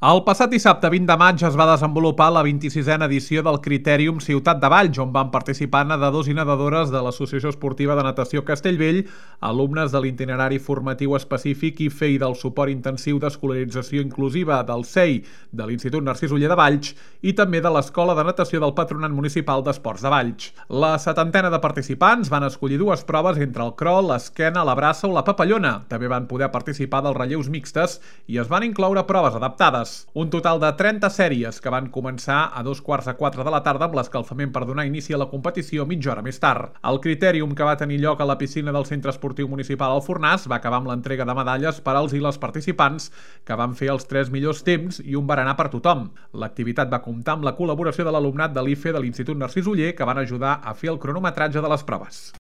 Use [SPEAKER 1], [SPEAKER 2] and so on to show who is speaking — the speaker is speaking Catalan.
[SPEAKER 1] El passat dissabte 20 de maig es va desenvolupar la 26a edició del Critèrium Ciutat de Valls, on van participar nedadors i nedadores de l'Associació Esportiva de Natació Castellvell, alumnes de l'itinerari formatiu específic IFE i del suport intensiu d'escolarització inclusiva del CEI de l'Institut Narcís Oller de Valls i també de l'Escola de Natació del Patronat Municipal d'Esports de Valls. La setantena de participants van escollir dues proves entre el crawl, l'esquena, la braça o la papallona. També van poder participar dels relleus mixtes i es van incloure proves adaptades. Un total de 30 sèries que van començar a 3:45 de la tarda amb l'escalfament per donar inici a la competició mitja hora més tard. El Critèrium, que va tenir lloc a la piscina del Centre Esportiu Municipal al Fornàs, va acabar amb l'entrega de medalles per als i les participants que van fer els 3 millors temps i un berenar per tothom. L'activitat va comptar amb la col·laboració de l'alumnat de l'IFE de l'Institut Narcís Oller, que van ajudar a fer el cronometratge de les proves.